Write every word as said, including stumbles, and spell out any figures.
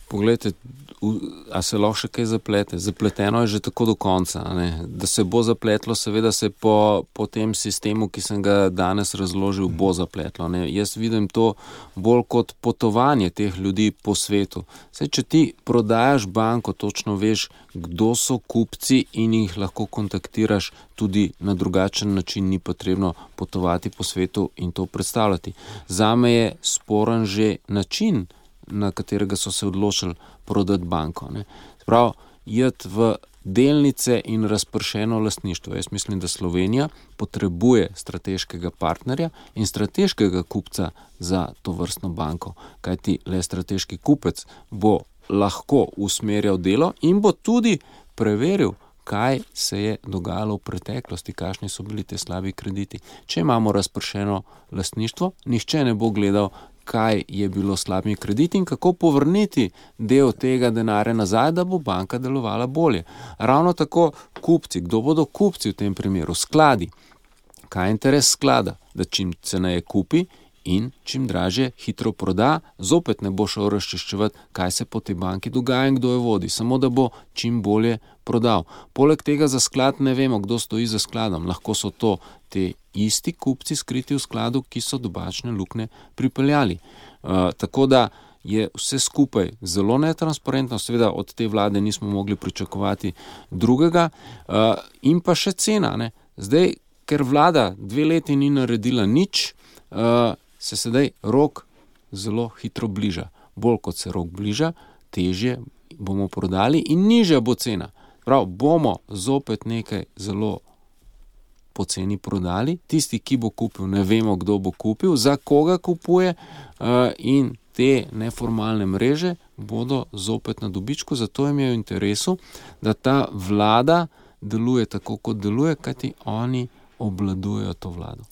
Poglejte, a se lahko še kaj zaplete? Zapleteno je že tako do konca. Ne? Da se bo zapletlo, seveda se po, po tem sistemu, ki sem ga danes razložil, bo zapletlo. Ne? Jaz vidim to bolj kot potovanje teh ljudi po svetu. Saj, če ti prodajaš banko, točno veš, kdo so kupci in jih lahko kontaktiraš tudi na drugačen način, ni potrebno potovati po svetu in to predstavljati. Zame je sporen že način, na katerega so se odločili prodati banko. Ne. Sprav, jed v delnice in razpršeno lastništvo. Jaz mislim, da Slovenija potrebuje strateškega partnerja in strateškega kupca za to vrstno banko, kajti le strateški kupec bo lahko usmerjal delo in bo tudi preveril, kaj se je dogajalo v preteklosti, kakšni so bili te slabi krediti. Če imamo razpršeno lastništvo, nihče ne bo gledal, kaj je bilo s slabimi krediti in kako povrniti del tega denarja nazaj, da bo banka delovala bolje. Ravno tako kupci, kdo bodo kupci v tem primeru? Skladi. Kaj je interes sklada? Da čim ceneje kupi in čim dražje hitro proda, zopet ne bo šel razčiščevati, kaj se po tej banki dogaja in kdo jo vodi, samo da bo čim bolje prodal. Poleg tega za sklad ne vemo, kdo stoji za skladom. Lahko so to te isti kupci skriti v skladu, ki so do bančne luknje pripeljali. Uh, tako da je vse skupaj zelo netransparentno, seveda od te vlade nismo mogli pričakovati drugega, uh, in pa še cena. Ne? Zdaj, ker vlada dve leti ni naredila nič, uh, se sedaj rok zelo hitro bliža. Bolj kot se rok bliža, težje bomo prodali in nižja bo cena. Prav, bomo zopet nekaj zelo poceni prodali. Tisti, ki bo kupil, ne vemo, kdo bo kupil, za koga kupuje, uh, in te neformalne mreže bodo zopet na dobičku, zato jim je v interesu, da ta vlada deluje tako, kot deluje, kajti oni obvladujejo to vlado.